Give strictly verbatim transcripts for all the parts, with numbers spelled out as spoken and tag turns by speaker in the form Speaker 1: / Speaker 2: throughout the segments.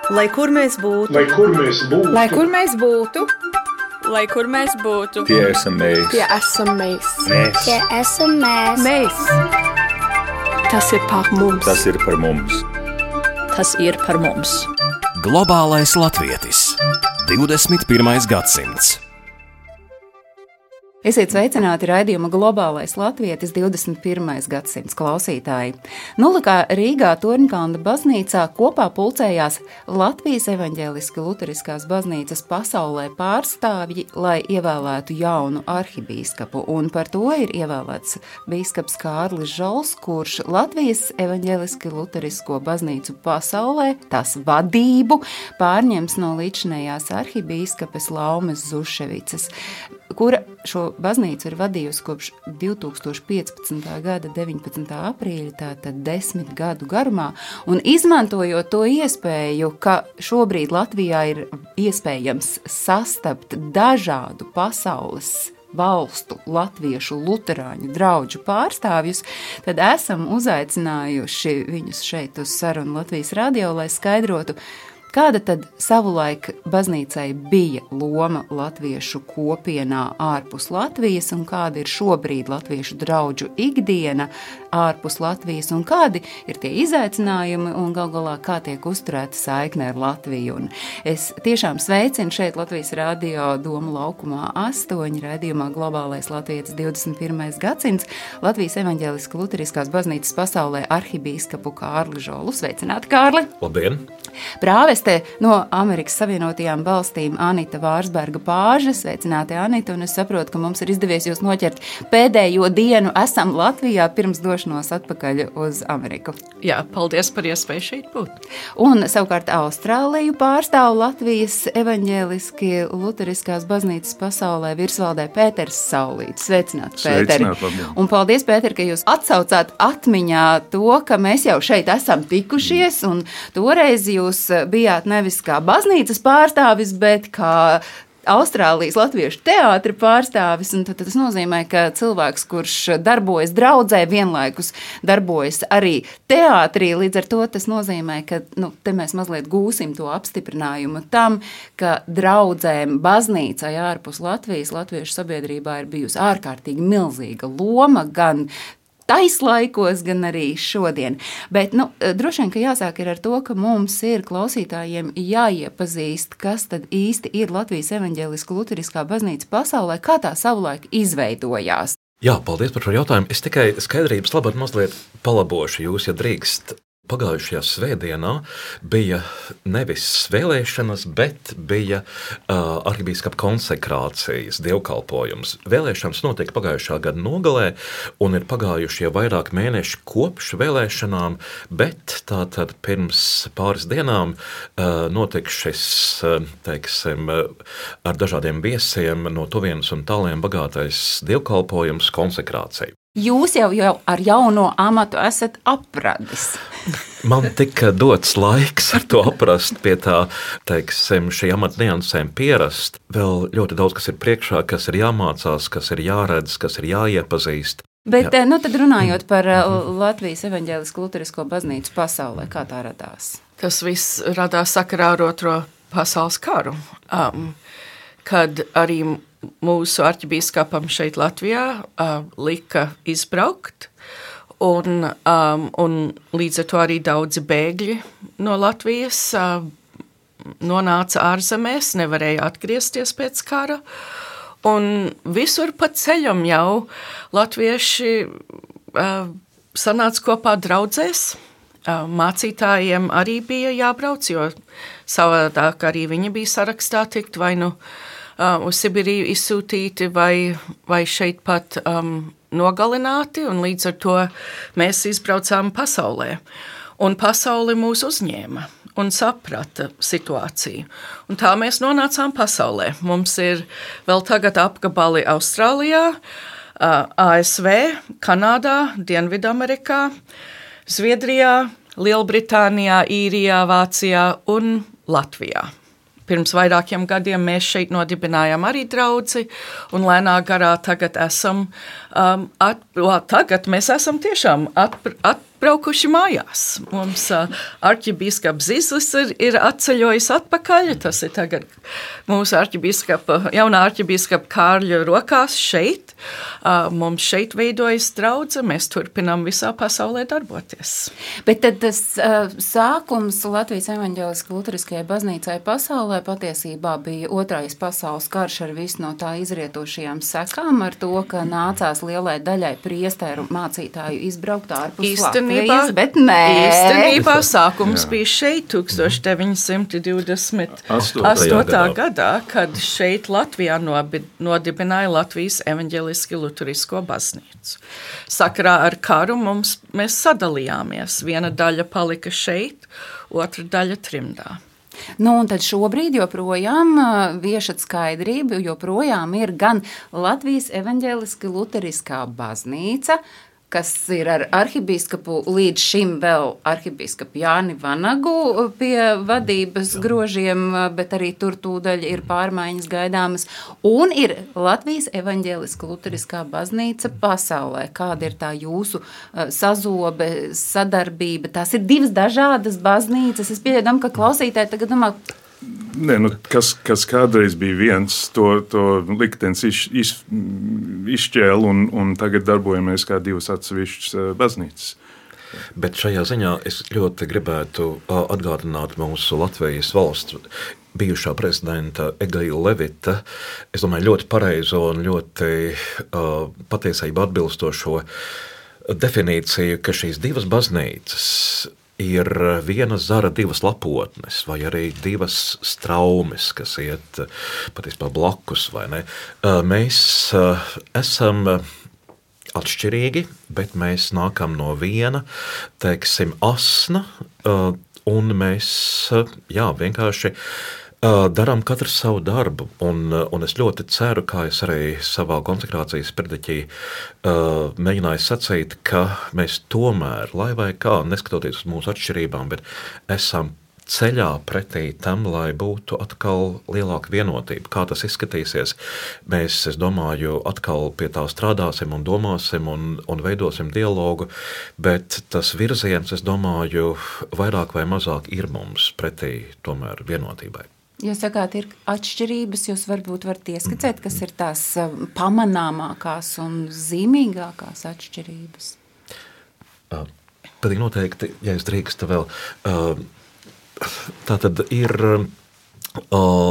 Speaker 1: Lai kur mēs būtu,
Speaker 2: lai kur mēs būtu,
Speaker 3: lai kur mēs būtu,
Speaker 4: lai kur mēs būtu,
Speaker 5: tie esam mēs,
Speaker 3: tie esam mēs,
Speaker 5: mēs.
Speaker 6: tie esam mēs.
Speaker 3: mēs. Tas ir par mums.
Speaker 5: Tas ir par mums.
Speaker 4: Tas ir par mums.
Speaker 7: Globālais latvietis. divdesmit pirmais gadsimts.
Speaker 8: Esiet sveicināti raidījuma Globālais latvietis divdesmit pirmais gadsimts klausītāji. Nulikā Rīgā Torņkalna baznīcā kopā pulcējās Latvijas evaņģēliski luteriskās baznīcas pasaulē pārstāvji, lai ievēlētu jaunu arhibīskapu, un par to ir ievēlēts bīskaps Kārlis Žols, kurš Latvijas evaņģēliski luterisko baznīcu pasaulē, tās vadību, pārņems no līdzinējās arhibīskapes Laumes Zuševicas, kura šo baznīcu ir vadījusi kopš divi tūkstoši piecpadsmitā gada deviņpadsmitā aprīļa, tātad desmit gadu garumā, un izmantojot to iespēju, ka šobrīd Latvijā ir iespējams sastapt dažādu pasaules valstu latviešu luterāņu draugu pārstāvjus, tad esam uzaicinājuši viņus šeit uz sarunu Latvijas radio, lai skaidrotu, kāda tad savulaik baznīcai bija loma latviešu kopienā ārpus Latvijas un kāda ir šobrīd latviešu draugu ikdiena ārpus Latvijas un kādi ir tie izaicinājumi un gal galā kā tiek uzturēta saikne ar Latviju. Un es tiešām sveicinu šeit Latvijas radio Doma laukumā astoņi raidījumā Globālais latvietis divdesmit pirmais gadsimts Latvijas evaņģēliski luteriskās baznīcas pasaulē arhibīskapu Kārli Žolu. Sveicināti, Kārli!
Speaker 9: Labdien!
Speaker 8: Prāveste no Amerikas Savienotajām valstīm Anita Vārsberga Pāža. Sveicināti, Anita, un es saprotu, ka mums ir izdevies jūs noķert pēdējo dienu. Esam Latvijā pirms došanos atpakaļ uz Ameriku.
Speaker 10: Jā, paldies par iespēju šeit būt.
Speaker 8: Un savukārt Austrāliju pārstāv Latvijas evaņģēliski luteriskās baznīcas pasaulē virsvaldē Pēters Saulītis. Sveicināti, Pēteri!
Speaker 5: Sveicināt,
Speaker 8: un paldies, Pēter, ka jūs atsaucāt atmiņā to, ka mēs jau šeit esam tikušies, un toreiz jūs bijāt nevis kā baznīcas pārstāvis, bet kā Austrālijas latviešu teātra pārstāvis, un tad tas nozīmē, ka cilvēks, kurš darbojas draudzē, vienlaikus darbojas arī teātrī, līdz ar to tas nozīmē, ka nu, te mēs mazliet gūsim to apstiprinājumu tam, ka draudzēm baznīcai ārpus Latvijas, latviešu sabiedrībā ir bijusi ārkārtīgi milzīga loma, gan taislaikos, gan arī šodien. Bet, nu, droši vien, ka jāsāk ir ar to, ka mums ir klausītājiem jāiepazīst, kas tad īsti ir Latvijas evaņģēliska luteriskā baznīca pasaulē, kā tā savulaik izveidojās.
Speaker 9: Jā, paldies par šo jautājumu. Es tikai skaidrības labāk mazliet palabošu jūs, ja drīkst. Pagājušajā svētdienā bija nevis vēlēšanas, bet bija uh, arhibīskapa konsekrācijas dievkalpojums. Vēlēšanas notika pagājušā gada nogalē, un ir pagājuši jau vairāk mēneši kopš vēlēšanām, bet tātad pirms pāris dienām uh, notika šis, uh, teiksim, uh, ar dažādiem viesiem no tuvienes un tāliem bagātais dievkalpojums konsekrācija.
Speaker 8: Jūs jau, jau ar jauno amatu esat apradis.
Speaker 9: Man tika dots laiks ar to aprast, pie tā, teiksim, šī amata niansēm pierast. Vēl ļoti daudz, kas ir priekšā, kas ir jāmācās, kas ir jāredz, kas ir jāiepazīst.
Speaker 8: Bet,
Speaker 9: Jā.
Speaker 8: nu tad runājot par Latvijas evaņģēlisko luterisko baznīcu pasaulē, kā tā radās?
Speaker 10: Tas viss radās sakarā ar otro pasaules karu, um, kad arī mūsu arķibīskapam šeit Latvijā uh, lika izbraukt, un, um, un līdz ar to arī daudzi bēgļi no Latvijas uh, nonāca ārzemēs, nevarēja atgriezties pēc kara, un visur pa ceļam jau latvieši uh, sanāca kopā draudzēs. Uh, mācītājiem arī bija jābrauc, jo savādāk arī viņi bija sarakstā tikt vai nu Uh, uz Sibiriju izsūtīti vai, vai šeit pat um, nogalināti, un līdz ar to mēs izbraucām pasaulē. Un pasauli mūs uzņēma un saprata situāciju. Un tā mēs nonācām pasaulē. Mums ir vēl tagad apgabali Austrālijā, uh, A S V, Kanādā, Dienvidamerikā, Zviedrijā, Lielbritānijā, Īrijā, Vācijā un Latvijā. Pirms vairākiem gadiem mēs šeit nodibinājām arī draudzi, un lēnā garā tagad esam, um, at, o, tagad mēs esam tiešām at, at, braukuši mājās. Mums uh, arķibīskaps Zislis ir, ir atceļojis atpakaļ. Tas ir tagad mūsu arķibīskapa, jaunā arķibīskapa Kārļa rokās šeit. Uh, mums šeit veidojas draudze, mēs turpinām visā pasaulē darboties.
Speaker 8: Bet tad tas uh, sākums Latvijas evaņģēliskajai luteriskajai baznīcai pasaulē patiesībā bija otrais pasaules karš ar visu no tā izrietošajām sekām, ar to, ka nācās lielai daļai priesteru mācītāju izbraukt ārpus Latvijas. Latvijas, bet nē.
Speaker 10: Īstenībā sākums Jā. bija šeit tūkstoš deviņi simti divdesmit astotajā gadā, kad šeit Latvijā nobi, nodibināja Latvijas evaņģeliski luterisko baznīcu. Sakarā ar karu mums, mēs sadalījāmies. Viena daļa palika šeit, otra daļa trimdā.
Speaker 8: Nu, un tad šobrīd joprojām viešat skaidrību, joprojām ir gan Latvijas evaņģeliski luteriskā baznīca, kas ir ar arhibīskapu līdz šim vēl arhibīskapu Jāni Vanagu pie vadības grožiem, bet arī tur tūdaļ ir pārmaiņas gaidāmas. Un ir Latvijas evaņģēliska luteriskā baznīca pasaulē. Kāda ir tā jūsu sazobe, sadarbība? Tās ir divas dažādas baznīcas. Es pieļaudam, ka klausītāji tagad domā,
Speaker 1: Nē, nu, kas, kas kādreiz bija viens, to, to liktenis iz, iz, izšķēla un, un tagad darbojamies kā divas atsevišķas baznīcas.
Speaker 9: Bet šajā ziņā es ļoti gribētu atgādināt mūsu Latvijas valsts bijušā prezidenta Eglīna Levita, es domāju, ļoti pareizo un ļoti uh, patiesību atbilstošo definīciju, ka šīs divas baznīcas ir viena zara divas lapotnes, vai arī divas straumes, kas iet patiesībā blakus, vai ne? Mēs esam atšķirīgi, bet mēs nākam no viena, teiksim, asna, un mēs, jā, vienkārši darām katrs savu darbu, un, un es ļoti ceru, kā es arī savā konsekrācijas prediķī uh, mēģināju sacīt, ka mēs tomēr, lai vai kā, neskatoties uz mūsu atšķirībām, bet esam ceļā pretī tam, lai būtu atkal lielāka vienotība. Kā tas izskatīsies, mēs, es domāju, atkal pie tā strādāsim un domāsim un, un veidosim dialogu, bet tas virziens, es domāju, vairāk vai mazāk ir mums pretī tomēr vienotībai.
Speaker 8: Jūs sakāt, ir atšķirības, jūs varbūt varat ieskicēt, kas ir tās pamanāmākās un zīmīgākās atšķirības?
Speaker 9: Uh, Pilnīgi noteikti, ja es drīkstu vēl, uh, tā tad ir uh,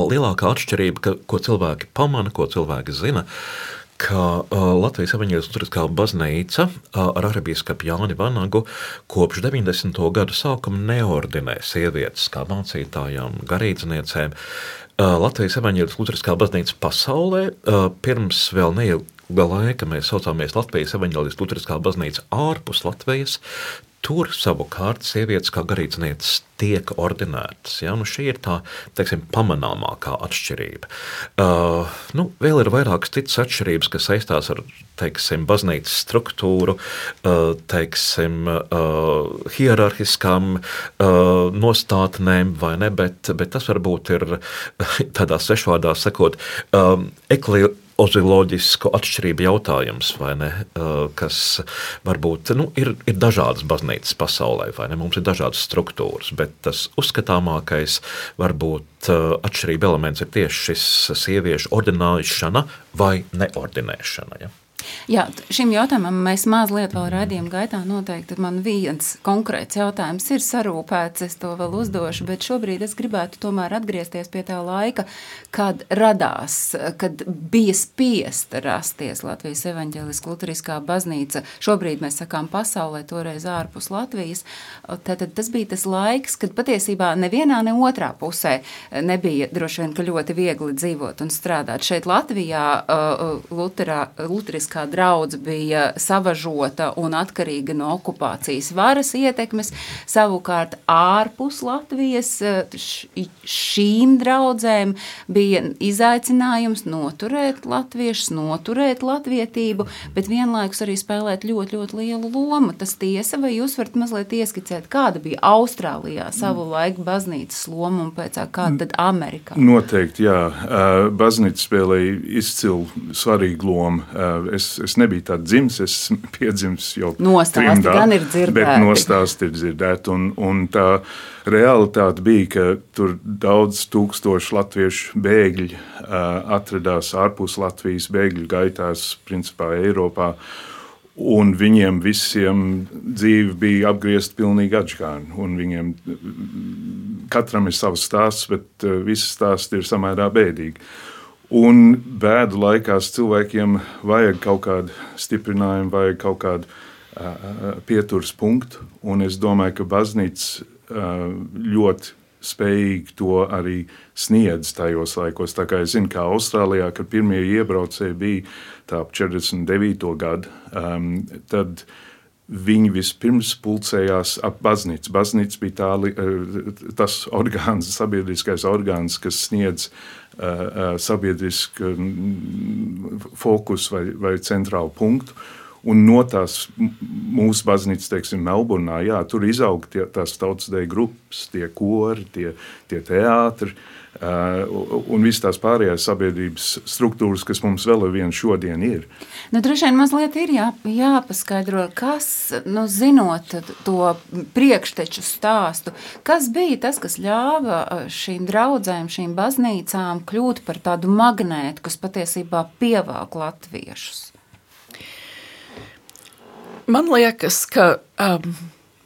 Speaker 9: lielākā atšķirība, ka, ko cilvēki pamana, ko cilvēki zina, ka uh, Latvijas evaņģēliskā luteriskā baznīca uh, ar arhibīskapu Jāni Vanagu kopš deviņdesmito gadu sākuma neordinē sievietes kā mācītājām, garīdzniecēm. Uh, Latvijas evaņģēliskā luteriskā baznīca pasaulē uh, pirms vēl neilga laika mēs saucāmies Latvijas evaņģēliskā luteriskā baznīca ārpus Latvijas. Tur savukārt sievietes kā garīdznieces tiek ordinētas. Ja? Nu, šī ir tā, teiksim, pamanāmākā atšķirība. Uh, nu, vēl ir vairākas citas atšķirības, kas saistās ar, teiksim, baznīcas struktūru, uh, teiksim, uh, hierarhiskām uh, nostātnēm, vai ne, bet, bet tas varbūt ir tādā svešvārdā sakot, um, ekli oziloģisku atšķirību jautājums, vai ne, kas varbūt, nu, ir, ir dažādas baznīcas pasaulē, vai ne, mums ir dažādas struktūras, bet tas uzskatāmākais varbūt atšķirība elements ir tieši šis sieviešu ordinēšana vai neordinēšana, ja?
Speaker 8: Jā, šim jautājumam mēs mazliet vēl raidījuma gaitā noteikti. Man viens konkrēts jautājums ir sarūpēts, es to vēl uzdošu, bet šobrīd es gribētu tomēr atgriezties pie tā laika, kad radās, kad bija spiesta rasties Latvijas evaņģēliskā luteriskā baznīca. Šobrīd mēs sakām pasaulē, toreiz ārpus Latvijas. Tātad tas bija tas laiks, kad patiesībā nevienā, ne otrā pusē nebija droši vien, ka ļoti viegli dzīvot un strādāt. Šeit Latvijā uh, luterā, luteriskā kā draudze bija savažota un atkarīga no okupācijas varas ietekmes, savukārt ārpus Latvijas šīm draudzēm bija izaicinājums noturēt latviešus, noturēt latvietību, bet vienlaikus arī spēlēt ļoti, ļoti lielu lomu. Tas tiesa, vai jūs varat mazliet ieskicēt, kāda bija Austrālijā savu laiku baznīcas loma un pēc kāda tad Amerikā?
Speaker 1: Noteikti, jā. Baznīca spēlēja izcilu svarīgu lomu. Es es, es nebiju tā dzimis, es piedzimis jau
Speaker 8: Nostāsti
Speaker 1: trimdā,
Speaker 8: gan ir dzirdēti.
Speaker 1: Bet nostāsti ir dzirdēti. Un, un tā realitāte bija, ka tur daudz tūkstoši latviešu bēgļi uh, atradās ārpus Latvijas bēgļu gaitās, principā Eiropā. Un viņiem visiem dzīve bija apgriezta pilnīgi atžgāni. Un viņiem katram ir savs stāsts, bet uh, visi stāsti ir samērā bēdīgi. Un bēdu laikās cilvēkiem vajag kaut kādu stiprinājumu, vajag kaut kādu uh, pieturas punktu. Un es domāju, ka baznīca uh, ļoti spējīgi to arī sniedz tajos laikos. Tā kā es zinu, kā Austrālijā, kad pirmie iebraucēji bija tā ap četrdesmit devīto gadu, um, tad viņi vispirms pulcējās ap baznīcu. Baznīca bija tā, tas orgāns, sabiedriskais orgāns, kas sniedz uh, sabiedrisku fokusu vai, vai centrālu punktu. Un no tās mūsu baznīcas, teiksim, Melburnā, jā, tur izaug tie, tās tautsdeju grupas, tie kori, tie, tie teātri uh, un visas tās pārējās sabiedrības struktūras, kas mums vēl ar vienu šodien ir.
Speaker 8: Nu, droši vien mazliet ir jā, jāpaskaidro, kas, nu, zinot to priekšteču stāstu, kas bija tas, kas ļāva šīm draudzēm, šīm baznīcām kļūt par tādu magnētu, kas patiesībā pievāk latviešus?
Speaker 10: Man liekas, ka um,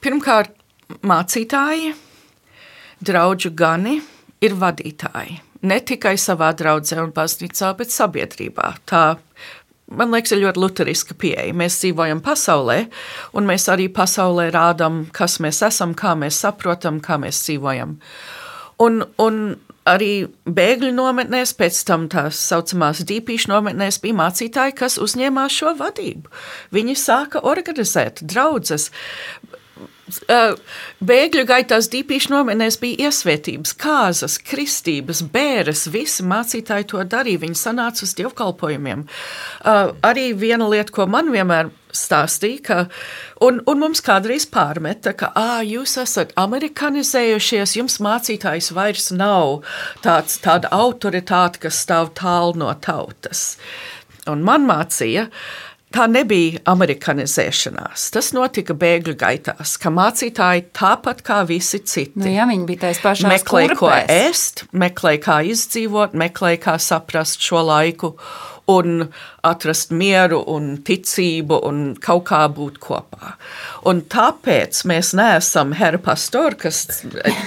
Speaker 10: pirmkārt mācītāji, draudžu gani ir vadītāji. Ne tikai savā draudzē un baznīcā, bet sabiedrībā. Tā, man liekas, ir ļoti luteriska pieeja. Mēs dzīvojam pasaulē, un mēs arī pasaulē rādam, kas mēs esam, kā mēs saprotam, kā mēs dzīvojam. Un, un arī bēgļu nometnēs, pēc tam tās saucamās dīpīšu nometnēs bija mācītāji, kas uzņēmās šo vadību. Viņi sāka organizēt draudzes. Bēgļu gaitās dīpīšu nometnēs bija iesvētības, kāzas, kristības, bēres, visi mācītāji to darīja, viņi sanāca uz dievkalpojumiem. Arī viena lieta, ko man vienmēr stāstīja, ka, un, un mums kādreiz pārmeta, ka ā, jūs esat amerikanizējušies, jums mācītājs vairs nav tāds, tāda autoritāte, kas stāv tālu no tautas. Un man mācīja, tā nebija amerikanizēšanās. Tas notika bēgļu gaitās, ka mācītāji tāpat kā visi citi.
Speaker 8: Nu, jā, viņi bija tais pašās
Speaker 10: meklēja, ko
Speaker 8: kurpēs.
Speaker 10: ēst, meklēja, kā izdzīvot, meklēja, kā saprast šo laiku un atrast mieru un ticību un kaut kā būt kopā. Un tāpēc mēs neesam herra pastori, kas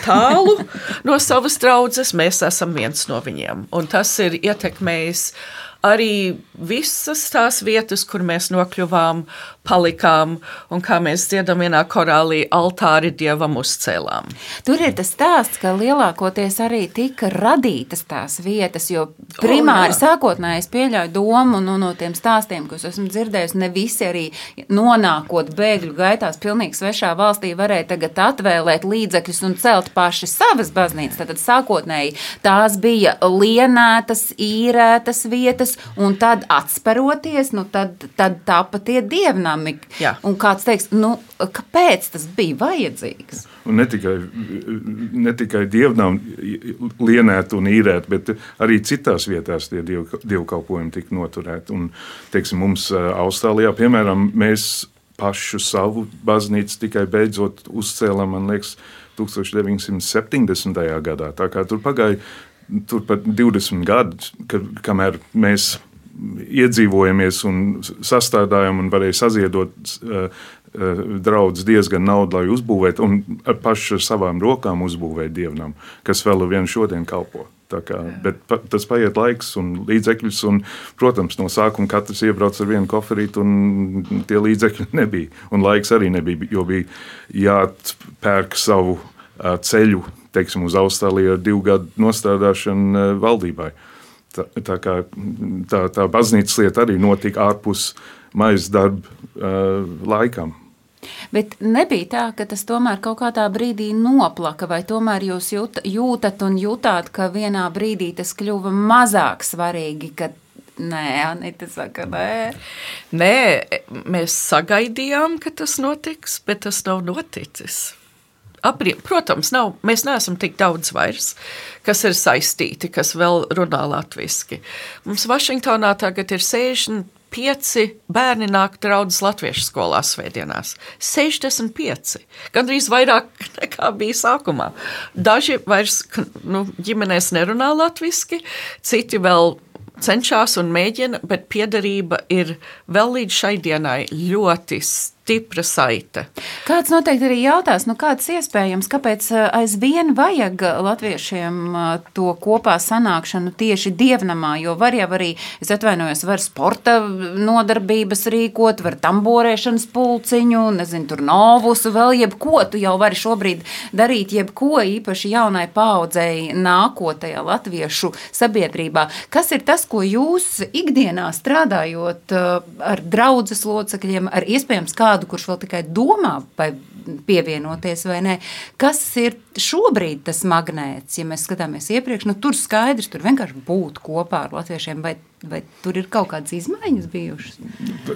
Speaker 10: tālu no savas draudzes, mēs esam viens no viņiem. Un tas ir ietekmējis arī visas tās vietas, kur mēs nokļuvām, palikām, un kā mēs dziedam vienā korālī, altāri Dievam uzcēlām.
Speaker 8: Tur ir tas stāsts, ka lielākoties arī tika radītas tās vietas, jo primāri oh, sākotnēji es pieļauju domu no, no tiem stāstiem, ko es esmu dzirdējusi, ne visi arī nonākot bēgļu gaitās pilnīgi svešā valstī varēja tagad atvēlēt līdzekļus un celt paši savas baznīcas. Tātad sākotnēji tās bija lienētas, īrētas vietas, un tad atsperoties, nu tad, tad tāpat tie dievnami.
Speaker 10: Jā.
Speaker 8: Un kāds teiks, nu, kāpēc tas bija vajadzīgs?
Speaker 1: Un ne tikai, ne tikai dievnām lienēt un īrēt, bet arī citās vietās tie diev, dievkalpojumi tika noturēti. Un, teiksim, mums Austrālijā, piemēram, mēs pašu savu baznīcu tikai beidzot uzcēlam, man liekas, tūkstoš deviņsimt septiņdesmitajā gadā. Tā kā tur pagāja tur pat divdesmit gadus, kad, kamēr mēs iedzīvojamies un sastādājam un varēja saziedot uh, uh, draudz diezgan naudu, lai uzbūvētu un paši ar savām rokām uzbūvēt dievnam, kas vēl ar vienu šodien kalpo. Tā kā, bet pa, tas paiet laiks un līdzekļus, un, protams, no sākuma katrs iebrauc ar vienu koferīti, un tie līdzekļi nebija. Un laiks arī nebija, jo bija jāpērk savu uh, ceļu, teiksim, uz Austrāliju ar divu gadu nostrādāšanu uh, valdībai. Tā, tā kā tā, tā baznīcas lieta arī notika ārpus maizes darba uh, laikam.
Speaker 8: Bet nebija tā, ka tas tomēr kaut kādā brīdī noplaka, vai tomēr jūs jūt, jūtat un jutāt, ka vienā brīdī tas kļuva mazāk svarīgi, ka nē, Anita saka, nē.
Speaker 10: Nē, mēs sagaidījām, ka tas notiks, bet tas nav noticis. Aprie, protams, nav, mēs neesam tik daudz vairs, kas ir saistīti, kas vēl runā latviski. Mums Vašingtonā tagad ir sešdesmit pieci bērni nāk draudzes latviešu skolā svētdienās. sešdesmit pieci. Gandrīz vairāk nekā bija sākumā. Daži vairs nu, ģimenēs nerunā latviski, citi vēl cenšas un mēģina, bet piederība ir vēl līdz šai dienai ļoti stipra saite.
Speaker 8: Kāds noteikti arī jautās, nu kāds iespējams, kāpēc aizvien vajag latviešiem to kopā sanākšanu tieši dievnamā, jo var jau arī, es atvainojos, var sporta nodarbības rīkot, var tamborēšanas pulciņu, nezinu, tur novusu, vēl jebko, tu jau vari šobrīd darīt jebko, īpaši jaunai paaudzei nākotajā latviešu sabiedrībā. Kas ir tas, ko jūs ikdienā strādājot ar draudzes locekļiem, ar iespējams kā kurš vēl tikai domā, vai pievienoties vai nē. Kas ir šobrīd tas magnēts, ja mēs skatāmies iepriekš? Nu, tur skaidrs, tur vienkārši būt kopā ar latviešiem, vai, vai tur ir kaut kādas izmaiņas bijušas?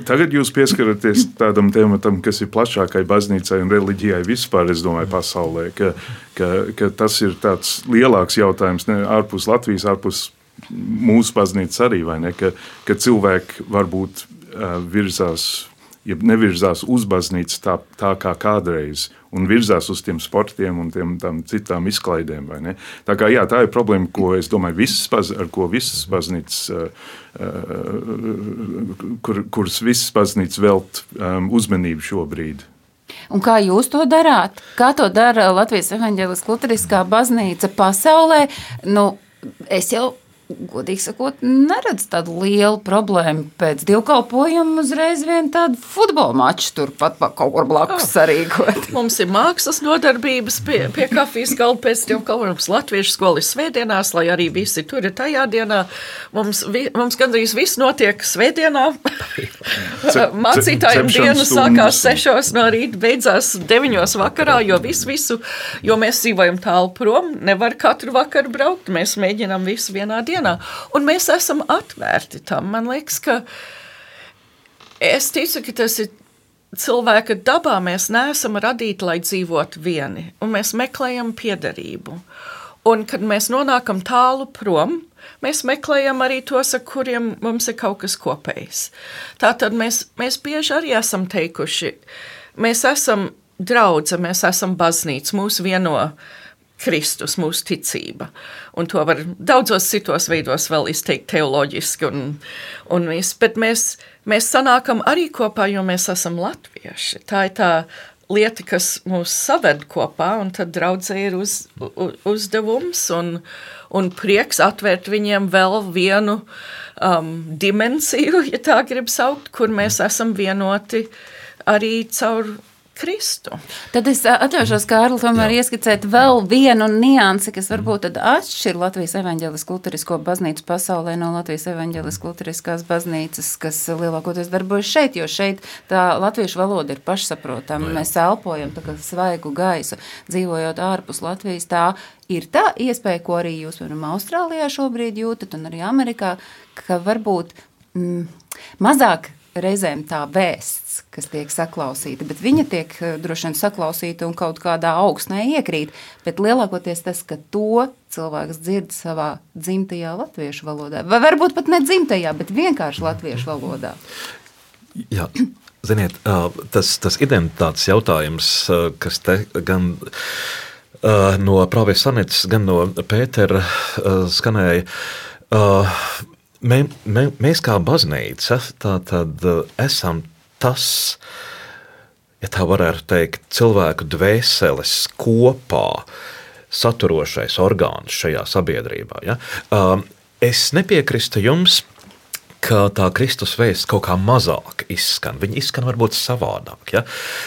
Speaker 1: Tagad jūs pieskaraties tādam tematam, kas ir plašākai baznīcai un reliģijai vispār, es domāju, pasaulē, ka, ka, ka tas ir tāds lielāks jautājums, ne, ārpus Latvijas, ārpus mūsu baznīcas arī, vai ne, ka, ka cilvēki varbūt uh, virzās ja nevirzās uz baznīcu tā, tā kā kādreiz, un virzās uz tiem sportiem un tiem, tām citām izklaidēm. Vai ne? Tā, kā, jā, tā ir problēma, ko es domāju, visas, ar ko visas baznīcas, kur, kuras visas baznīcas velt um, uzmanību šobrīd.
Speaker 8: Un kā jūs to darāt? Kā to dara Latvijas evaņģēliskā luteriskā baznīca pasaulē? Nu, es jau godīgi sakot, neredz tādu lielu problēmu pēc dievkalpojuma uzreiz vien tādu futbola maču tur pat kaut kur blakus sarīkot.
Speaker 10: Mums ir mākslas nodarbības pie, pie kafijas galda pēc dievkalpojuma. Latviešu skola ir svētdienās, lai arī visi tur ir tajā dienā. Mums, vi, mums gandrīz viss notiek svētdienā. Mācītājiem dienas sākās sešos no rīta, beidzās deviņos vakarā, jo visu, visu, jo mēs dzīvojam tālu prom, nevar katru vakaru braukt, mēs mēģinām visu vienā dienā. Un mēs esam atvērti tam. Man liekas, ka es ticu, ka tas ir cilvēka dabā. Mēs neesam radīti, lai dzīvotu vieni. Un mēs meklējam piederību. Un kad mēs nonākam tālu prom, mēs meklējam arī tos, ar kuriem mums ir kaut kas kopējs. Tātad mēs, mēs bieži arī esam teikuši, mēs esam draudze, mēs esam baznīca, mūs vieno Kristus, mūsu ticība. Un to var daudzos citos veidos vēl izteikt teoloģiski. Un, un viss, bet mēs, mēs sanākam arī kopā, jo mēs esam latvieši. Tā ir tā lieta, kas mūs saved kopā, un tad draudzē ir uz, uz, uzdevums un, un prieks atvērt viņiem vēl vienu um, dimensiju, ja tā grib saukt, kur mēs esam vienoti arī caur Kristu.
Speaker 8: Tad es atļaušos, Kārli, tomēr ieskicēt vēl vienu niansi, kas varbūt tad atšķir Latvijas evaņģēliskā luterisko baznīcu pasaulē no Latvijas evaņģēliskā luteriskās baznīcas, kas lielākoties darbojas šeit, jo šeit tā latviešu valoda ir pašsaprotama. Mēs elpojam tā kā svaigu gaisu, dzīvojot ārpus Latvijas. Tā ir tā iespēja, ko arī jūs, piemēram, Austrālijā šobrīd jūtat, un arī Amerikā, ka varbūt mm, mazāk reizēm tā vēsts, kas tiek saklausīta, bet viņa tiek droši vien saklausīta un kaut kādā augstnē iekrīt, bet lielākoties tas, ka to cilvēks dzird savā dzimtajā latviešu valodā, vai varbūt pat ne dzimtajā, bet vienkārši latviešu valodā.
Speaker 9: Jā, ziniet, tas, tas identitātes jautājums, kas te gan no Prāvies Sanits, gan no Pētera skanēja, Mē, mē, mēs kā baznīca tā tad esam tas, ja tā varētu teikt, cilvēku dvēseles kopā saturošais orgāns šajā sabiedrībā. Ja? Es nepiekrīstu jums, ka tā Kristus vēsts kaut kā mazāk izskan. Viņa izskan varbūt savādāk. Ja?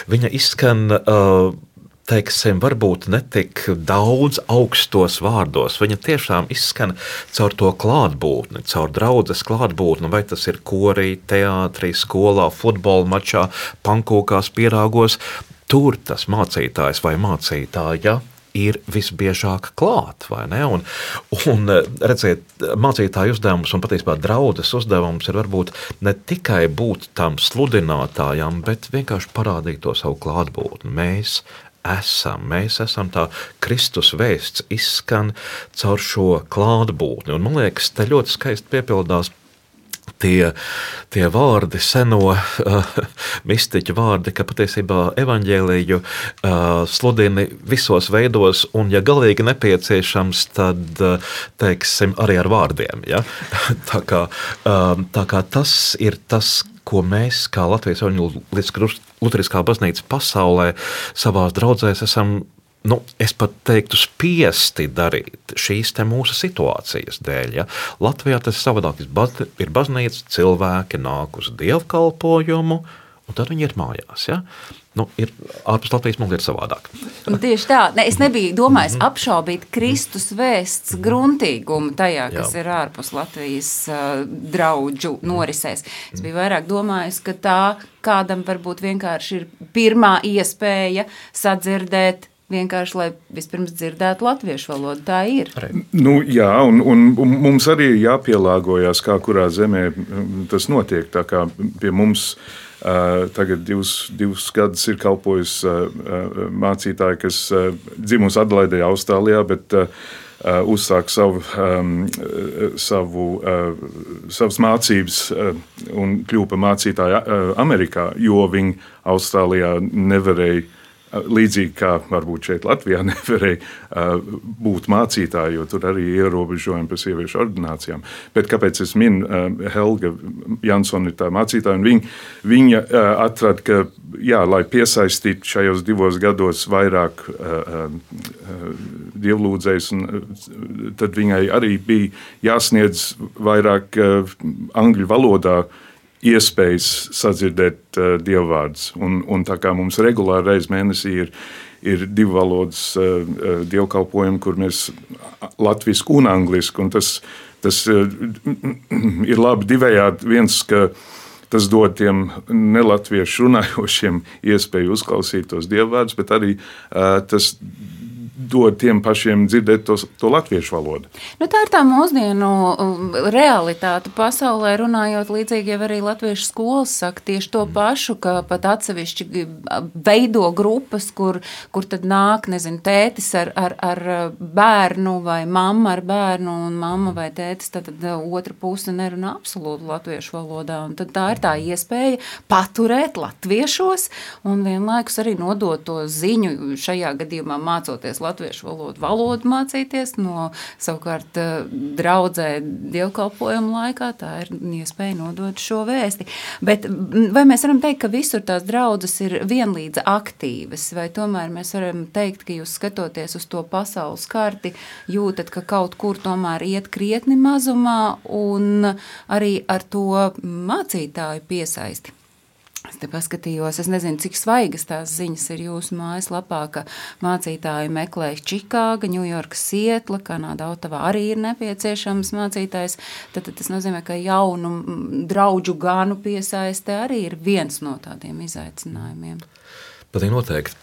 Speaker 9: Viņa izskan uh, teiksim, varbūt netik daudz augstos vārdos. Viņa tiešām izskan caur to klātbūtni, caur draudzes klātbūtni, vai tas ir korī, teātrī, skolā, futbola mačā, pankūkās, pierāgos. Tur tas mācītājs vai mācītāja ir visbiežāk klāt, vai ne? Un, un redziet, mācītāju uzdevums un patiesībā draudzes uzdevums ir varbūt ne tikai būt tam sludinātājam, bet vienkārši parādīt to savu klātbūtni. Mēs esam, mēs esam tā Kristus vēsts izskan caur šo klātbūtni. Un man liekas, te ļoti skaisti piepildās Tie, tie vārdi, seno uh, mistiķu vārdi, ka patiesībā evaņģēliju uh, sludini visos veidos, un, ja galīgi nepieciešams, tad, uh, teiksim, arī ar vārdiem. Ja? tā, kā, uh, tā kā tas ir tas, ko mēs, kā Latvijas Evaņģēliskā Luteriskā baznīca pasaulē, savās draudzēs esam, nu, es pat teiktu, spiesti darīt šīs te mūsu situācijas dēļ. Ja? Latvijā tas savādāk ir baznīca, cilvēki nāk uz dievkalpojumu, un tad viņi ir mājās. Ja? Nu, ir, ārpus Latvijas mums ir savādāk.
Speaker 8: Tieši tā. Ne, es nebiju domājis mm-hmm. apšaubīt Kristus vēsts gruntīgumu tajā, kas Jā. Ir ārpus Latvijas uh, draudžu norisēs. Es biju vairāk domājis, ka tā kādam varbūt vienkārši ir pirmā iespēja sadzirdēt vienkārši, lai vispirms dzirdētu latviešu valodu. Tā ir.
Speaker 1: Nu, jā, un, un, un mums arī jāpielāgojas, kā kurā zemē tas notiek. Tā kā pie mums uh, tagad divus, divus gadus ir kalpojis uh, mācītāji, kas uh, dzimusi Adelaidē, Austrālijā, bet uh, uh, uzsāk savu, um, savu, uh, savas mācības uh, un kļuva par mācītāju uh, Amerikā, jo viņi Austrālijā nevarēja, līdzīgi kā varbūt šeit Latvijā nevarēja uh, būt mācītāji, jo tur arī ierobežojumi par sieviešu ordinācijām. Bet kāpēc es minu, uh, Helga Jansona ir tā mācītāja, un viņa, viņa uh, atrada, ka, jā, lai piesaistītu šajos divos gados vairāk uh, uh, dievlūdzējus, un, uh, tad viņai arī bija jāsniedz vairāk uh, angļu valodā iespējas sadzirdēt uh, dievvvārdus. Un, un tā kā mums regulāri reiz mēnesī ir, ir divu valodas uh, dievkalpojumi, kur mēs latvisku un anglisku, un tas, tas uh, ir labi divējādi. Viens, ka tas dod tiem nelatviešu runājošiem iespēju uzklausīt tos dievvvārdus, bet arī uh, tas dod tiem pašiem dzirdēt to, to latviešu valodu.
Speaker 8: Nu, tā ir tā mūsdienu realitāte pasaulē, runājot līdzīgi jau arī latviešu skolas saka tieši to pašu, ka pat atsevišķi veido grupas, kur, kur tad nāk, nezinu, tētis ar, ar, ar bērnu vai mamma ar bērnu, un mamma vai tētis, tad, tad otra puse nerunā absolūti latviešu valodā, un tad tā ir tā iespēja paturēt latviešos un vienlaikus arī nodot to ziņu, šajā gadījumā mācoties latviešu valodu, valodu mācīties, no savukārt draudzē dievkalpojumu laikā, tā ir iespēja nodot šo vēsti. Bet vai mēs varam teikt, ka visur tās draudzes ir vienlīdz aktīvas, vai tomēr mēs varam teikt, ka jūs skatoties uz to pasaules karti, jūtat, ka kaut kur tomēr iet krietni mazumā un arī ar to mācītāju piesaisti? Es te paskatījos, es nezinu, cik svaigas tās ziņas ir jūsu mājaslapā, ka mācītāji meklē Čikāga, Ņujorka, Sietla, Kanāda, Otavā arī ir nepieciešams mācītājs. Tad, tad tas nozīmē, ka jaunu draudžu ganu piesaiste arī ir viens no tādiem izaicinājumiem.
Speaker 9: Patīk noteikti.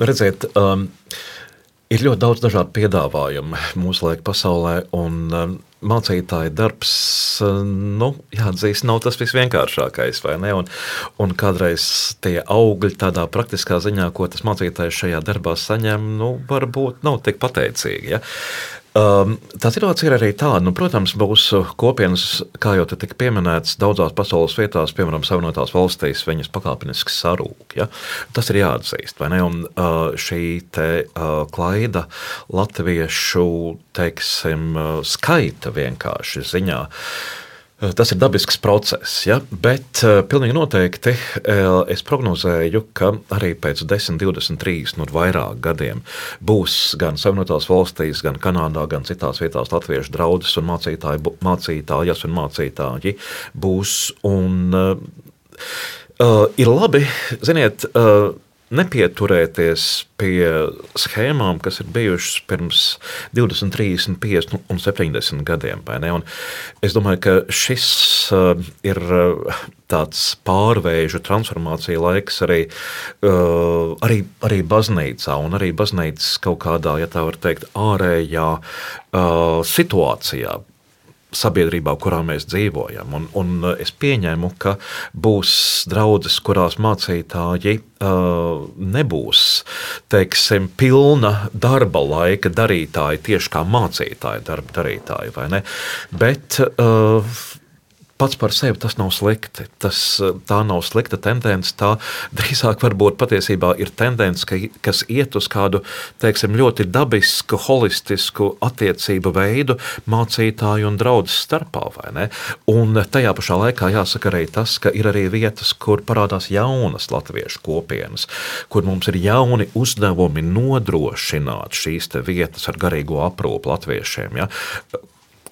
Speaker 9: Redziet, um, ir ļoti daudz dažādu piedāvājumu mūsu laika pasaulē, un um, mācītāja darbs, nu, jāatzīst, nav tas visvienkāršākais, vai ne? Un, un kādreiz tie augļi tādā praktiskā ziņā, ko tas mācītājs šajā darbā saņem, nu, varbūt nav tik pateicīgi, ja? Um, tā situācija ir arī tāda, nu, protams, mūsu kopienas, kā jau te tika pieminēts, daudzās pasaules vietās, piemēram, Savienotās valstīs, viņas pakāpeniski sarūk, ja? Tas ir jāatzīst, vai ne? Un uh, šī te uh, klaida latviešu, teiksim, skaita vienkārši ziņā, tas ir dabisks process, ja? Bet uh, pilnīgi noteikti uh, es prognozēju, ka arī pēc desmit, divdesmit, trīsdesmit un vairāk gadiem būs gan Savienotās valstīs, gan Kanādā, gan citās vietās latviešu draudzes un mācītāji, mācītājas un mācītāji būs. Un uh, uh, ir labi, ziniet, uh, nepieturēties pie schēmām, kas ir bijušas pirms divdesmit, trīsdesmit, piecdesmit un septiņdesmit gadiem. Vai ne? Un es domāju, ka šis uh, ir tāds pārvēžu transformācija laiks arī, uh, arī, arī baznīcā un arī baznīcas kaut kādā, ja tā var teikt, ārējā uh, situācijā, sabiedrībā, kurā mēs dzīvojam. Un, un es pieņemu, ka būs draudzes, kurās mācītāji uh, nebūs, teiksim, pilna darba laika darītāji, tieši kā mācītāji darba darītāji, vai ne? Bet uh, pats par sevi tas nav slikti. Tas, tā nav slikta tendence, tā drīzāk varbūt patiesībā ir tendence, ka, kas iet uz kādu, teiksim, ļoti dabisku, holistisku attiecību veidu mācītāju un draudzes starpā, vai ne? Un tajā pašā laikā jāsaka arī tas, ka ir arī vietas, kur parādās jaunas latviešu kopienas, kur mums ir jauni uzdevumi nodrošināt šīs te vietas ar garīgo aprūpu latviešiem, ja?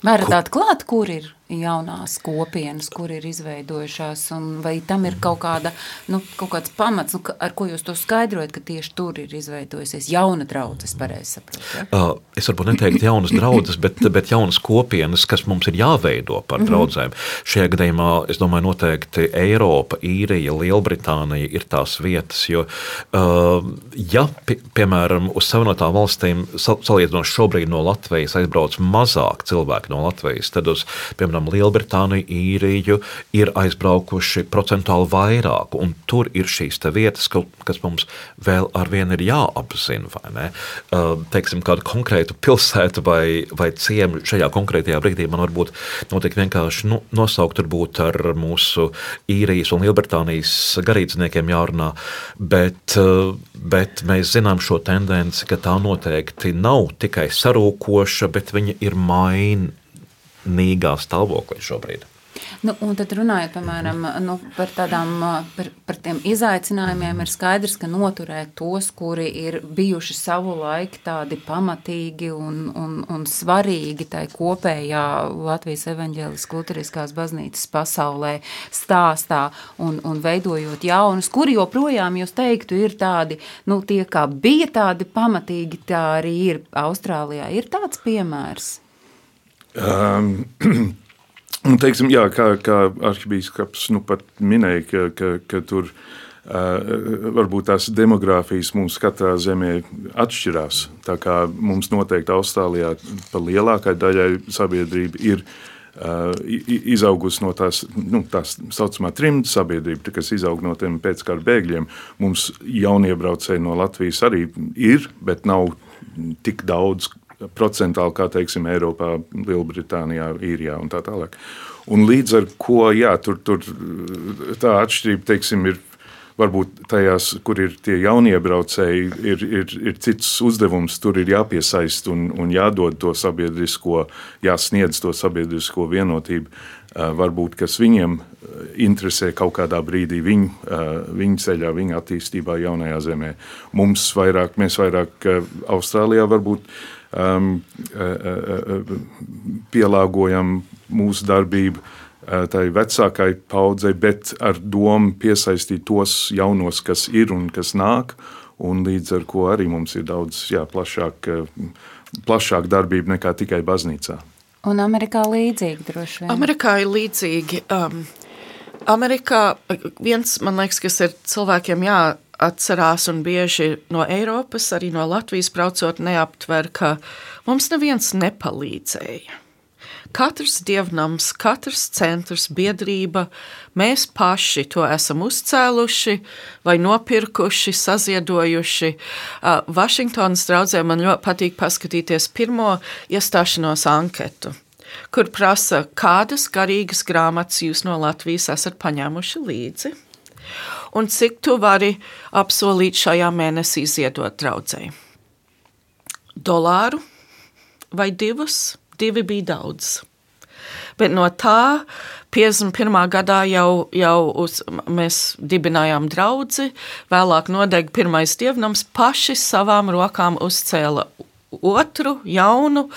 Speaker 8: Varat atklāt, kur ir jaunās kopienas, kur ir izveidojušās, un vai tam ir kaut kāda, nu, kaut kāds pamats, nu, ar ko jūs to skaidrojat, ka tieši tur ir izveidojusies jauna draudzes, pareizi saprot, ja?
Speaker 9: Uh, es varbūt neteiktu jaunas draudzes, bet, bet jaunas kopienas, kas mums ir jāveido par draudzēm. Mm-hmm. Šajā gadījumā, es domāju, noteikti Eiropa, Īrija, Lielbritānija ir tās vietas, jo, uh, ja, pie, piemēram, uz Savienotām valstīm salīdzinot šobrīd no Latvijas aizbrauc mazāk cilvēki no Latvijas, tad uz, piemēram, Lielbritāniju, Īriju ir aizbraukuši procentuāli vairāk, un tur ir šīs te vietas, kas mums vēl arvien ir jāapzina, vai ne? Teiksim, kādu konkrētu pilsētu vai, vai ciemu šajā konkrētajā brīdī man varbūt notiek vienkārši nu, nosaukt varbūt ar mūsu Īrijas un Lielbritānijas garīdzniekiem jārunā, bet, bet mēs zinām šo tendenci, ka tā noteikti nav tikai sarūkoša, bet viņa ir maina nīgā stāvoklī šobrīd.
Speaker 8: Nu, un tad runājot, piemēram, nu, par, tādām, par, par tiem izaicinājumiem, ir skaidrs, ka noturēt tos, kuri ir bijuši savu laiku tādi pamatīgi un, un, un svarīgi tai kopējā Latvijas evaņģēliskās luteriskās baznīcas pasaulē stāstā un, un veidojot jaunus, kuri joprojām, jūs teiktu, ir tādi, nu, tie kā bija tādi pamatīgi, tā arī ir Austrālijā. Ir tāds piemērs?
Speaker 1: Um, teiksim, jā, kā, kā arhibīskaps nu pat minēja, ka, ka, ka tur uh, varbūt tās demogrāfijas mums katrā zemē atšķirās. Tā kā mums noteikti Austrālijā pa lielākai daļai sabiedrība ir uh, izaugusi no tās, nu, tās saucamā trimda sabiedrība, kas izaug no tiem pēckara bēgļiem. Mums jauniebraucēji no Latvijas arī ir, bet nav tik daudz procentāli, kā teiksim, Eiropā, Lielbritānijā, Īrijā un tā tālāk. Un līdz ar ko, jā, tur, tur tā atšķirība, teiksim, ir varbūt tajās, kur ir tie jauniebraucēji, ir, ir, ir cits uzdevums, tur ir jāpiesaist un, un jādod to sabiedrisko, jāsniedz to sabiedrisko vienotību, varbūt, kas viņiem interesē kaut kādā brīdī viņu, viņu ceļā, viņu attīstībā jaunajā zemē. Mums vairāk, mēs vairāk Austrālijā varbūt Um, pielāgojam mūsu darbību tai vecākai paudzei, bet ar domu piesaistīt tos jaunos, kas ir un kas nāk, un līdz ar ko arī mums ir daudz jā, plašāk, plašāk darbība nekā tikai baznīcā.
Speaker 8: Un Amerikā līdzīgi droši vien?
Speaker 10: Amerikā ir līdzīgi. Um, Amerikā viens, man liekas, kas ir cilvēkiem jā, atcerās un bieži no Eiropas, arī no Latvijas braucot neaptver, ka mums neviens nepalīdzēja. Katrs dievnams, katrs centrs, biedrība, mēs paši to esam uzcēluši vai nopirkuši, saziedojuši. Uh, Vašingtonas draudzē man ļoti patīk paskatīties pirmo iestāšanos anketu, kur prasa, kādas garīgas grāmatas jūs no Latvijas esat paņēmuši līdzi. Un cik tu vari apsolīt šajā mēnesī ziedot draudzei? Dolāru vai divus? Divi bija daudz. Bet no tā piecdesmit pirmā gadā jau, jau uz, mēs dibinājām draudzi, vēlāk nodeg pirmais dievnams, paši savām rokām uzcēla otru, jaunu.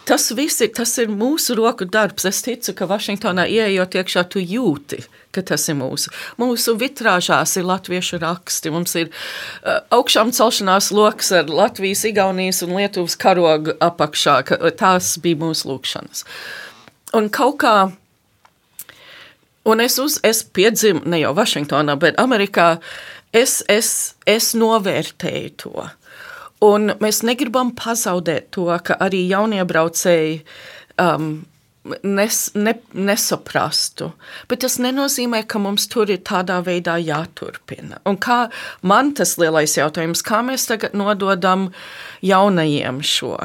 Speaker 10: Tas viss ir, tas ir mūsu roku darbs. Es ticu, ka Vašingtonā ieejot iekšā, tu jūti, ka tas ir mūsu. Mūsu vitrāžās ir latviešu raksti. Mums ir uh, augšām celšanās loks ar Latvijas, Igaunijas un Lietuvas karogu apakšā. Tās bija mūsu lūkšanas. Un kaut kā, un es, uz, es piedzimu, ne jau Vašingtonā, bet Amerikā, es, es, es novērtēju to. Un mēs negribam pazaudēt to, ka arī jauniebraucēji um, nes, ne, nesaprastu. Bet tas nenozīmē, ka mums tur ir tādā veidā jāturpina. Un kā man tas lielais jautājums, kā mēs tagad nododam jaunajiem šo?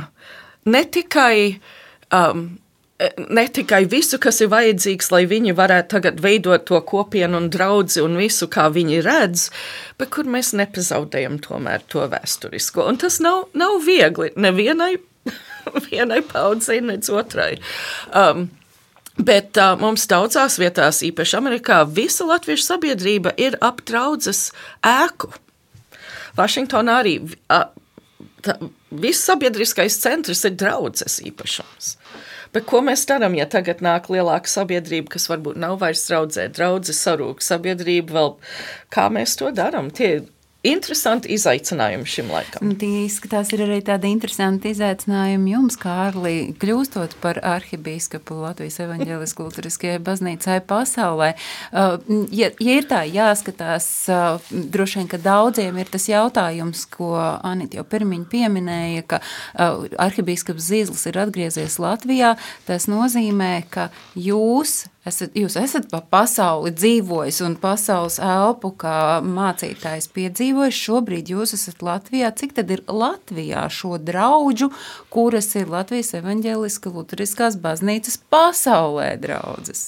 Speaker 10: Ne tikai, um, ne tikai visu, kas ir vajadzīgs, lai viņi varētu tagad veidot to kopienu un draudzi un visu, kā viņi redz, bet kur mēs nepazaudējam tomēr to vēsturisko. Un tas nav, nav viegli nevienai vienai paudzei, nec otrai. Um, bet uh, mums daudzās vietās, īpaši Amerikā, visa latviešu sabiedrība ir ap draudzes ēku. Vašingtonā arī uh, tā, viss sabiedriskais centrs ir draudzes īpašums. Bet ko mēs darām, ja tagad nāk lielāka sabiedrība, kas varbūt nav vairs draudzē, draudzes sarūk sabiedrība vēl, kā mēs to darām? Tie interesanti izaicinājumi šim laikam.
Speaker 8: Tie izskatās ir arī tādi interesanti izaicinājumi jums, Kārli, kļūstot par arhibīskapu Latvijas evaņģeliskajai luteriskajai baznīcai pasaulē. Uh, ja, ja ir tā jāskatās, uh, droši vien, ka daudziem ir tas jautājums, ko Anita jau pirmiņ pieminēja, ka uh, arhibīskaps Zīzlis ir atgriezies Latvijā. Tas nozīmē, ka jūs Esat, jūs esat pa pasauli dzīvojis un pasaules elpu, kā mācītājs piedzīvojis. Šobrīd jūs esat Latvijā. Cik tad ir Latvijā šo draudžu, kuras ir Latvijas evaņģeliska luteriskās baznīcas pasaulē draudzes?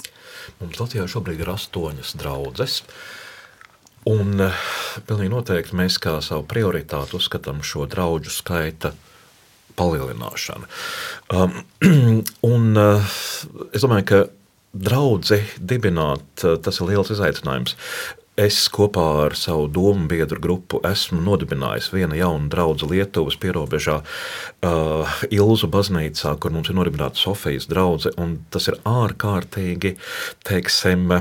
Speaker 9: Mums Latvijā šobrīd ir astoņas draudzes. Un pilnīgi noteikti mēs kā savu prioritātu uzskatām šo draudžu skaita palielināšanu. Um, un uh, es domāju, ka draudzi dibināt, tas ir liels izaicinājums. Es kopā ar savu domu biedru grupu esmu nodibinājis vienu jaunu draudzi Lietuvas pierobežā uh, Ilzu baznīcā, kur mums ir nodibināta Sofijas draudze, un tas ir ārkārtīgi, teiksim,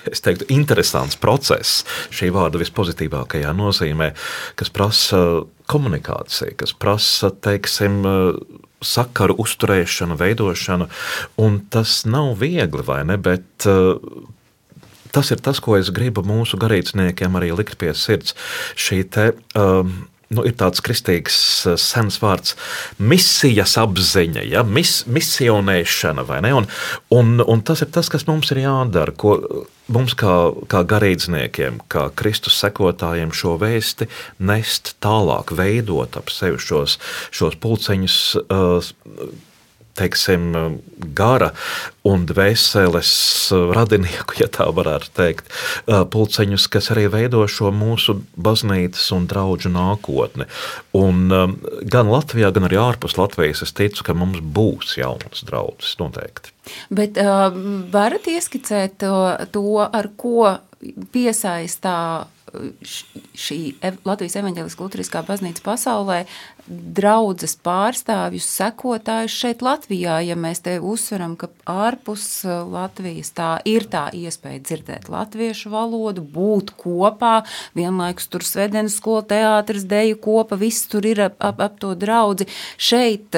Speaker 9: es teiktu, interesants process, šī vārda vispozitīvākajā nozīmē, kas prasa komunikāciju, kas prasa, teiksim, sakaru uzturēšanu, veidošanu, un tas nav viegli, vai ne, bet uh, tas ir tas, ko es gribu mūsu garīdzniekiem arī likt pie sirds. Šī te, um, nu, ir tāds kristīgs sens vārds misijas apziņa, ja? Mis, misionēšana, vai ne, un, un, un tas ir tas, kas mums ir jādara, ko mums kā, kā garīdzniekiem, kā Kristus sekotājiem šo vēsti nest tālāk, veidot ap sevi šos, šos pulceņus, uh, teiksim, gara un dvēseles radinieku, ja tā varētu teikt, pulceņus, kas arī veido šo mūsu baznīcas un draudžu nākotni. Un gan Latvijā, gan arī ārpus Latvijas es ticu, ka mums būs jaunas draudzes noteikti.
Speaker 8: Bet uh, varat ieskicēt to, to, ar ko piesaistā šī Latvijas evaņģeliskā luteriskā baznīca pasaulē draudzes pārstāvjus, sekotājus šeit Latvijā, ja mēs te uzsveram, ka ārpus Latvijas tā ir tā iespēja dzirdēt latviešu valodu, būt kopā, vienlaikus tur svedenes skola, teātris, deju kopa, viss tur ir ap, ap, ap to draudzi. Šeit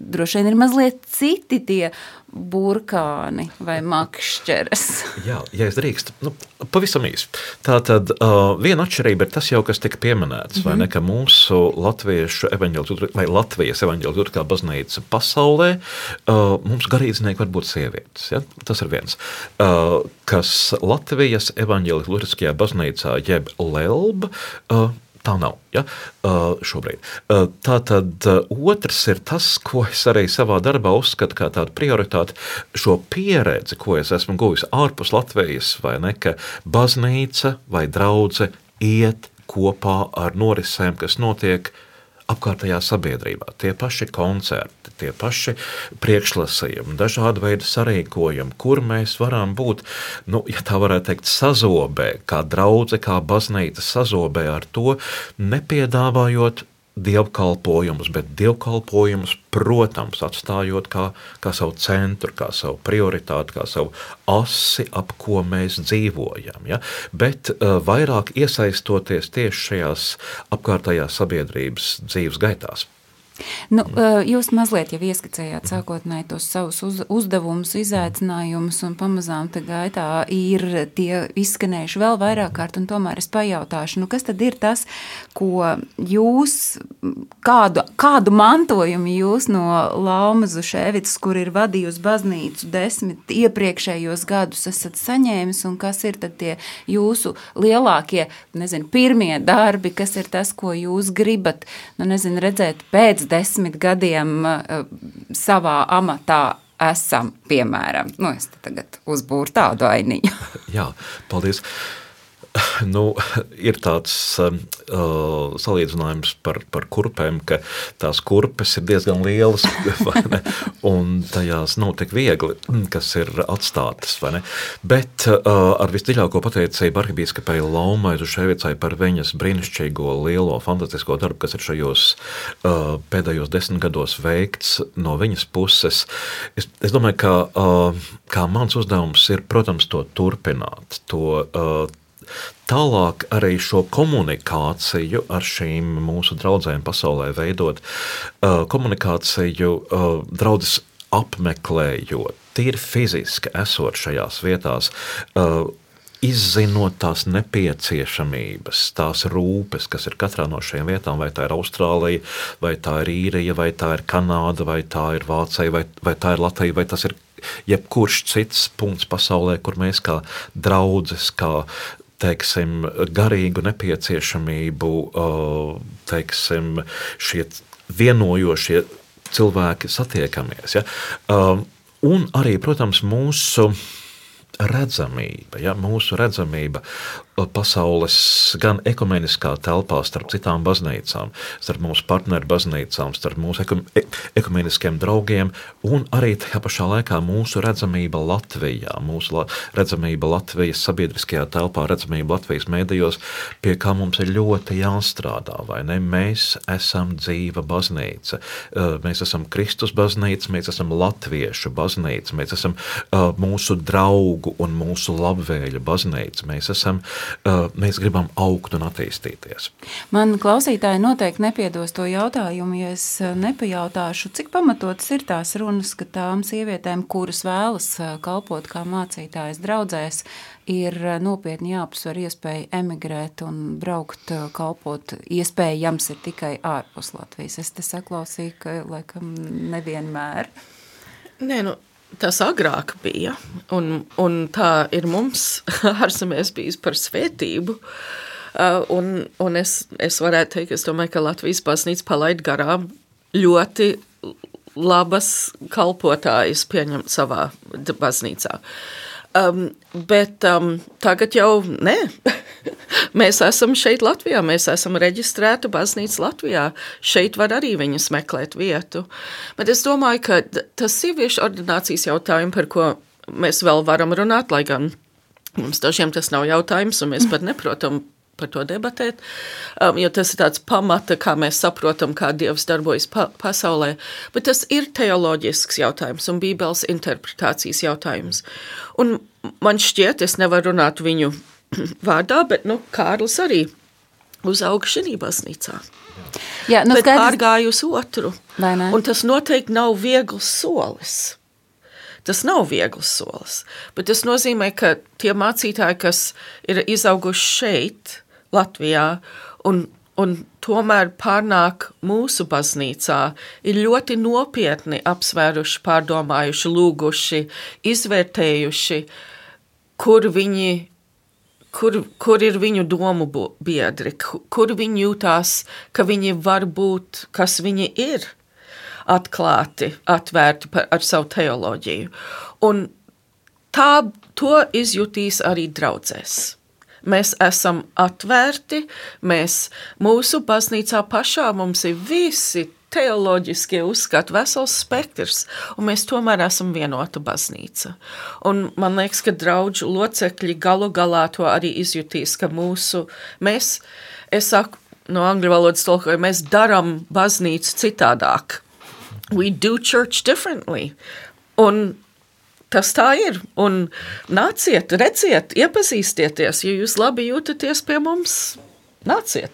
Speaker 8: droši vien ir mazliet citi tie burkāni vai makšķeres.
Speaker 9: Jā, ja es drīkst, nu, pavisam īsi. Tātad uh, viena atšķirība ir tas jau, kas tika pieminēts, mm-hmm. vai ne, ka mūsu latviešu evaņģeliskā vai Latvijas evaņģeliskā baznīca pasaulē, uh, mums garīdznieki var būt sievietes, ja? Tas ir viens. Uh, kas Latvijas evaņģeliskajā baznīcā jeb Lelba, uh, tā nav, ja, uh, šobrīd. Uh, tātad uh, otrs ir tas, ko es arī savā darbā uzskatu kā tādu prioritāti, šo pieredzi, ko es esmu guvis ārpus Latvijas, vai ne, ka baznīca vai draudze iet kopā ar norisēm, kas notiek apkārtējā sabiedrībā. Tie paši koncerti, tie paši priekšlasījumi, dažādi veidi sarīkojumi, kur mēs varam būt, nu, ja tā varētu teikt, sazobē, kā draudze, kā baznīca sazobē ar to, nepiedāvājot dievkalpojumus, bet dievkalpojumus, protams, atstājot kā, kā savu centru, kā savu prioritāti, kā savu asi, ap ko mēs dzīvojam. Ja? Bet uh, vairāk iesaistoties tieši šajās apkārtējās sabiedrības dzīves gaitās.
Speaker 8: Nu, jūs mazliet jau ieskicējāt sākotnēji tos savus uz, uzdevumus, izaicinājumus, un pamazām te gaitā ir tie izskanējuši vēl vairāk kārt, un tomēr es pajautāšu, nu kas tad ir tas, ko jūs, kādu, kādu mantojumu jūs no Lauma Zuševicas, kur ir vadījusi baznīcu desmit iepriekšējos gadus, esat saņēmis, un kas ir tad tie jūsu lielākie, nezinu, pirmie darbi, kas ir tas, ko jūs gribat, nu nezinu, redzēt pēc desmit gadiem uh, savā amatā esam, piemēram. Nu, es te tagad uzbūru tādu ainiņu.
Speaker 9: Jā, paldies. Nu, ir tāds uh, salīdzinājums par, par kurpēm, ka tās kurpes ir diezgan lielas, vai ne? Un tajās nav tik viegli, kas ir atstātas, vai ne? Bet uh, ar visdziļāko pateicību arhibīskapei Laumai Zuševicai par viņas brīnišķīgo lielo fantastisko darbu, kas ir šajos uh, pēdējos desmit gados veikts no viņas puses. Es, es domāju, ka uh, kā mans uzdevums ir, protams, to turpināt, to uh, tālāk arī šo komunikāciju ar šīm mūsu draudzēm pasaulē veidot, uh, komunikāciju uh, draudzes apmeklējot, tīri fiziski esot šajās vietās, uh, izzinot tās nepieciešamības, tās rūpes, kas ir katrā no šiem vietām, vai tā ir Austrālija, vai tā ir Īrija, vai tā ir Kanāda, vai tā ir Vācija, vai, vai tā ir Latvija, vai tas ir jebkurš cits punkts pasaulē, kur mēs kā draudzes, kā teiksim, garīgu nepieciešamību, teiksim, šie vienojošie cilvēki satiekamies. Ja? Un arī, protams, mūsu redzamība, ja? Mūsu redzamība pasaules gan ekumeniskā telpā starp citām baznīcām, starp mūsu partneru baznīcām, starp mūsu ekumeniskiem draugiem un arī tajā pašā laikā mūsu redzamība Latvijā, mūsu la, redzamība Latvijas sabiedriskajā telpā, redzamība Latvijas mēdījos, pie kā mums ir ļoti jāstrādā, vai ne? Mēs esam dzīva baznīca, mēs esam Kristus baznīca, mēs esam latviešu baznīca, mēs esam uh, mūsu draugu un mūsu labvēļu baznīca, mēs esam mēs gribam augt un attīstīties.
Speaker 8: Man klausītāji noteikti nepiedos to jautājumu, ja es nepajautāšu, cik pamatotas ir tās runas, ka tām sievietēm, kuras vēlas kalpot kā mācītājas draudzēs, ir nopietni jāapsver iespēja emigrēt un braukt kalpot. Iespējams ir tikai ārpus Latvijas. Es te saklausīju, ka laikam nevienmēr.
Speaker 10: Nē, nu, tas agrāk bija, un, un tā ir mums ārzemēs bijis par svētību. Uh, un un es, es varētu teikt, es domāju, ka Latvijas baznīca palaid garām ļoti labas kalpotājas pieņemt savā baznīcā. Um, bet um, tagad jau nē. Mēs esam šeit Latvijā, mēs esam reģistrēta baznīca Latvijā. Šeit var arī viņas meklēt vietu. Bet es domāju, ka tas sieviešu ordinācijas jautājumi, par ko mēs vēl varam runāt, lai gan mums dažiem tas nav jautājums, un mēs pat neprotam par to debatēt, um, jo tas ir tāds pamata, kā mēs saprotam, kā Dievs darbojas pa pasaulē. Bet tas ir teoloģisks jautājums un Bībeles interpretācijas jautājums. Un man šķiet, es nevaru runāt viņu vārdā, bet, nu, Kārlis arī uzauga šī baznīcā.
Speaker 8: Jā, nu,
Speaker 10: bet
Speaker 8: skaidrs...
Speaker 10: pārgāja uz otru.
Speaker 8: Vai ne?
Speaker 10: Un tas noteikti nav viegls solis. Tas nav viegls solis. Bet tas nozīmē, ka tie mācītāji, kas ir izauguši šeit, Latvijā, un, un tomēr pārnāk mūsu baznīcā, ir ļoti nopietni apsvēruši, pārdomājuši, lūguši, izvērtējuši, kur viņi Kur, kur ir viņu domu biedri, kur viņi jūtās, ka viņi var būt, kas viņi ir, atklāti, atvērti par, ar savu teoloģiju. Un tā, to izjutīs arī draudzēs. Mēs esam atvērti, mēs mūsu baznīcā pašā mums ir visi teoloģiskie uzskati, vesels spektrs, un mēs tomēr esam vienota baznīca. Un man liekas, ka draudžu locekļi galu galā to arī izjutīs, ka mūsu, mēs, es saku, no angļu valodas tulkoju, mēs daram baznīcu citādāk. We do church differently. Un tas tā ir. Un nāciet, redziet, iepazīstieties, ja jūs labi jūtaties pie mums. Nāciet.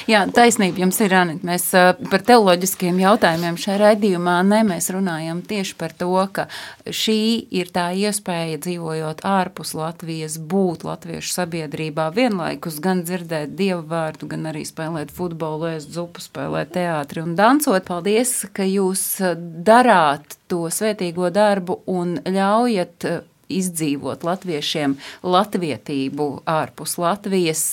Speaker 8: Jā, taisnība jums ir, Anita. Mēs par teoloģiskiem jautājumiem šajā raidījumā ne, mēs runājam tieši par to, ka šī ir tā iespēja dzīvojot ārpus Latvijas, būt latviešu sabiedrībā, vienlaikus gan dzirdēt Dieva vārdu, gan arī spēlēt futbolu, ēst zupu, spēlēt teātri un dancot. Paldies, ka jūs darāt to svētīgo darbu un ļaujat izdzīvot latviešiem latvietību ārpus Latvijas.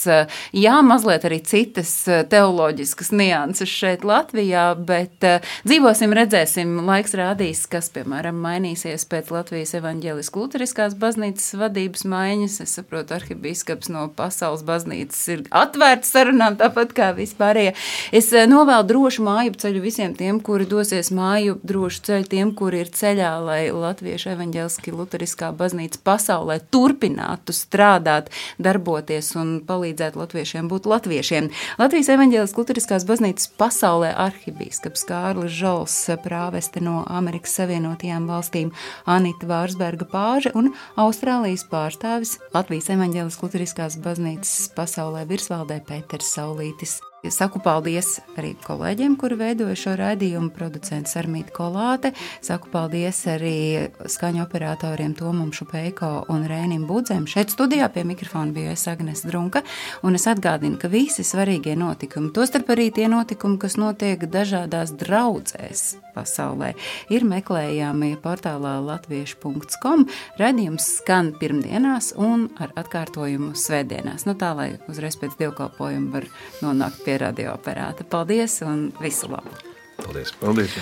Speaker 8: Jā, mazliet arī citas teoloģiskas nianses šeit Latvijā, bet dzīvosim, redzēsim, laiks rādīs, kas, piemēram, mainīsies pēc Latvijas evaņģēliskās luteriskās baznīcas vadības maiņas. Es saprotu, arhibīskaps no pasaules baznīcas ir atvērts sarunām, tāpat kā vispārējie. Es novēlu drošu māju ceļu visiem tiem, kuri dosies māju, drošu ceļu tiem, kuri ir ceļā, lai Latviešu evaņģēliskā luteriskā baznīca pasaulē turpinātu strādāt, darboties un palīdzēt latviešiem būt latviešiem. Latvijas evaņģēliskās luteriskās baznīcas pasaulē arhibīskaps Kārlis Žols, prāveste no Amerikas Savienotajām valstīm Anita Vārsberga Pāža un Austrālijas pārstāvis Latvijas evaņģēliskās luteriskās baznīcas pasaulē virsvaldē Pēters Saulītis. Saku paldies arī kolēģiem, kuri veidoja šo raidījumu, producents Armīta Kolāte. Saku paldies arī skaņu operatoriem Tomam Šupeiko un Rēnim Budzēm. Šeit studijā pie mikrofona bija es Agnes Drunka, un es atgādinu, ka visi svarīgie notikumi, tostarp arī tie notikumi, kas notiek dažādās draudzēs pasaulē, ir meklējami portālā latviešu punkts com. Raidījums skan pirmdienās un ar atkārtojumu svētdienās. Nu tā, lai uzreiz pēc dievkalpojuma var nonākt pie radioaparāta. Paldies un visu labu!
Speaker 9: Paldies!
Speaker 1: Paldies!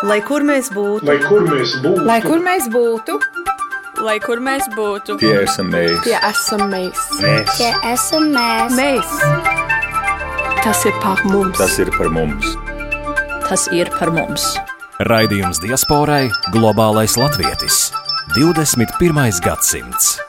Speaker 4: Lai kur mēs būtu,
Speaker 2: Lai kur mēs būtu,
Speaker 3: Lai kur mēs būtu,
Speaker 4: lai kur mēs būtu,
Speaker 2: tie esam mēs.
Speaker 3: tie esam mēs.
Speaker 2: Mēs.
Speaker 5: Tie esam mēs.
Speaker 3: Mēs. Tas ir par mums.
Speaker 2: Tas ir par mums.
Speaker 4: tas ir par mums.
Speaker 7: Raidījums diasporai Globālais latvietis. divdesmit pirmais gadsimts.